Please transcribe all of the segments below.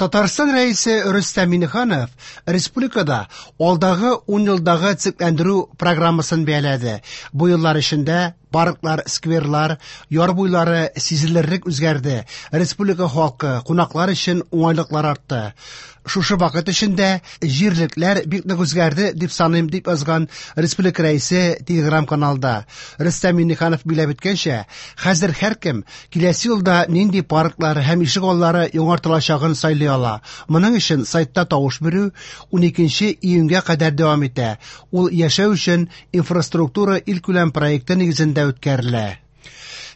Татарстан Рәисе Рөстәм Миңнеханов республикада алдагы 10 елдагы төзекләндерү программасын бәяләде. Бу еллар эчендә парклар, скверлар, яр буйлары сизелерлек үзгәрде. Республика халкы, кунаклар өчен уңайлыклар артты. Шушы вакыт эчендә җирлекләр бик нык үзгәрде дип саныйм, дип язган республика рәисе Телеграм-каналда. Рөстәм Миңнеханов билгеләп үткәнчә, хәзер һәркем киләсе елда нинди парклар һәм ишек аллары яңартылачагын сайлый ала. Моның өчен сайтта тавыш бирү 12 июньгә кадәр дәвам итә. Ул яшәү өчен инфраструктура илкүләм проекты нигезендә үткәрелә.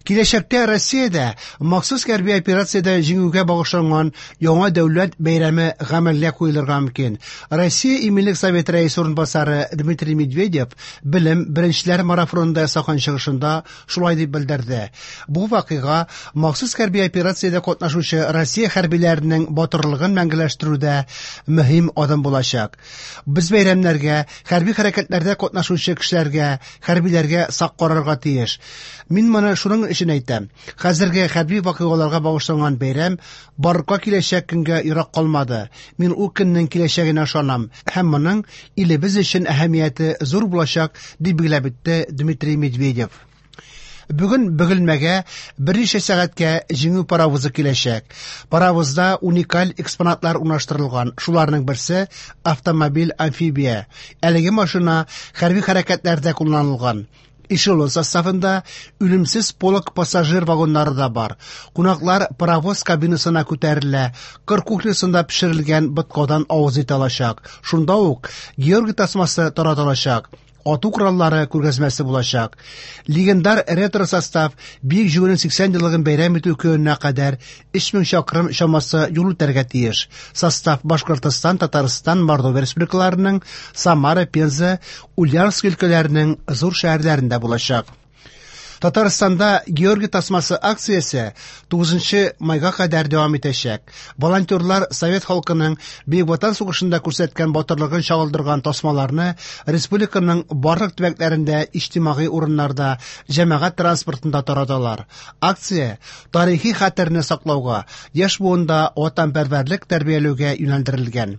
Киләчәктә Россиядә махсус хәрби операциядә җиңүгә багышланган яңа дәүләт бәйрәме гамәлгә куелырга мөмкин. Россия Иминлек Советы рәисе урынбасары Дмитрий Медведев белем беренчеләр марафонында ясаган чыгышында шулай дип белдерде. Бу вакыйга махсус хәрби операциядә катнашучы Россия хәрбиләренең батырлыгын мәңгеләштерүдә мөһим адым булачак. Без бәйрәмнәргә, хәрби хәрәкәтләрдә катнашучы кешеләргә, хәрбиләргә сак карарга тиеш. Мин моны шуның өчен әйтәм. Хәзерге хәрби вакыйгаларга багышланган бәйрәм барлыкка киләчәк көнгә ерак калмады. Мин ул көннең киләчәгенә ышанам һәм моның илебез өчен әһәмияте зур булачак, дип билгеләп үтте Дмитрий Медведев. Бүген Бөгелмәгә берничә сәгатькә Җиңү паровозы киләчәк. Паровозда уникаль экспонатлар урнаштырылган. Шуларның берсе автомобиль-амфибия. Әлеге машина хәрби хәрәкәтләрдә кулланылган. Эшелон составында үлемсез полк пассажир вагоннары да бар. Кунаклар паровоз кабинасына күтәрелә, кыр кухнясында пешерелгән боткадан авыз итә алачак. Шунда ук Георгий тасмасы таратылачак. Ату кораллары күргәзмәсе булачак. Легендар ретро-состав Бөек Җиңүнең 80 еллыгын бәйрәм итү көненә кадәр 3000 чакрым чамасы юл үтәргә тиеш. Состав Башкортостан, Татарстан, Мордовия республикаларының, Самара, Пенза, Ульяновск өлкәләренең зур шәһәрләрендә булачак. Татарстанда Георгий тасмасы акциясе 9 майга кадәр дәвам итәчәк. Волонтерлар совет халкының Бөек Ватан сугышында күрсәткән батырлыгын чагылдырган тасмаларны республиканың барлык төбәкләрендә иҗтимагый урыннарда, җәмәгать транспортында тараталар. Акция тарихи хәтерне саклауга, яшь буында ватанпәрвәрлек тәрбияләүгә юнәлдерелгән.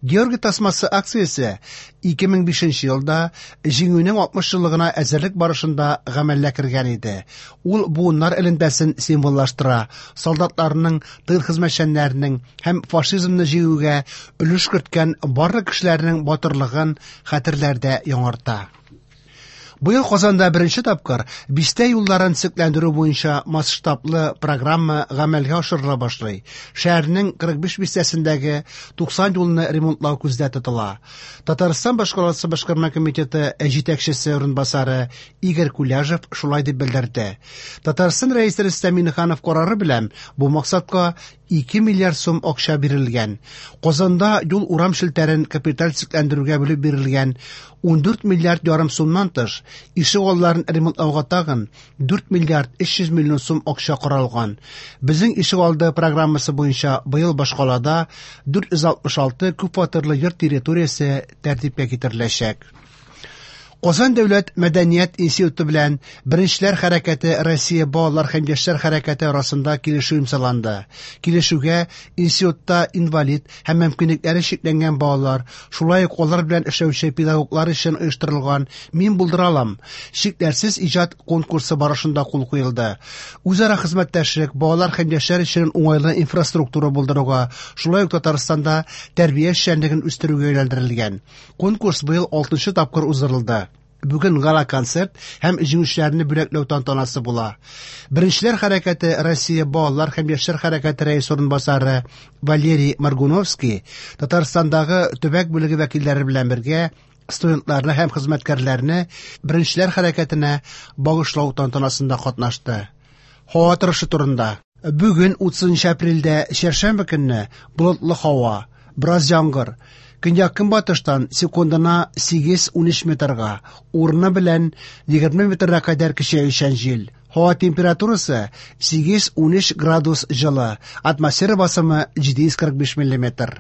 Георгий тасмасы акциясе 2005 елда Җиңүнең 60 еллыгына әзерлек барышында гамәлгә кергән иде. Ул буыннар элемтәсен символлаштыра, солдатларның, тыл хезмәтчәннәренең һәм фашизмны җиңүгә өлеш керткән барлык кешеләрнең батырлыгын хәтерләрдә яңарта. Быел Казанда беренче тапкыр бистә юлларын төзекләндерү буенча масштаблы программа гамәлгә ашырыла башлый. Шәһәрнең 45 бистәсендәге 90 юлны ремонтлау күздә тотыла. Татарстан башкаласы башкарма комитеты җитәкчесе урынбасары Игорь Куляжев шулай дип белдерде. Татарстан Рәисе Рөстәм Миңнеханов карары белән бу максатка 2 миллиард сум акча бирелгән. Казанда юл урам челтәрен капиталь төзекләндерүгә бүлеп бирелгән 14 миллиард ярым сумнан тыш, ишек алларын ремонтлауга тагын 4 миллиард 300 миллион сум акча каралган. Безнең ишек алды программасы буенча быел башкалада 466 күпфатирлы йорт территориясе тәртипкә китереләчәк. Казан дәүләт мәдәният институты белән Беренчеләр хәрәкәте Россия балалар һәм яшьләр хәрәкәте арасында килешү имзаланды. Килешүгә институтта инвалид һәм мөмкинлекләре чикләнгән балалар, шулай ук алар белән эшләүче педагоглар өчен оештырылган Мин булдыра алам чикләрсез иҗат конкурсы барышында кул куелды. Үзара хезмәттәшлек балалар һәм яшьләр өчен уңайлы инфраструктура булдыруга, шулай ук Татарстанда тәрбия эшчәнлеген үстерүгә юнәлдерелгән. Конкурс быел 6 тапкыр уздырылды. Бүген гала-концерт һәм җиңүчеләрне бүләкләү тантанасы була. Беренчеләр хәрәкәте Россия балалар һәм яшьләр хәрәкәте рәисе урынбасары Валерий Маргуновский Татарстандагы төбәк бүлеге вәкилләре белән бергә студентларны һәм хезмәткәрләрне Беренчеләр хәрәкәтенә багышлау тантанасында катнашты. Һава торышы турында. Бүген 30 апрельдә чәршәмбе көнне болытлы һава, бераз яңгыр. Көньяк-көнбатыштан секундына 8-13 метрга, урыны белән 20 метрга кадәр көчәючән җил. Һава температурасы 8-13 градус җылы, атмосфера басымы 745 миллиметр.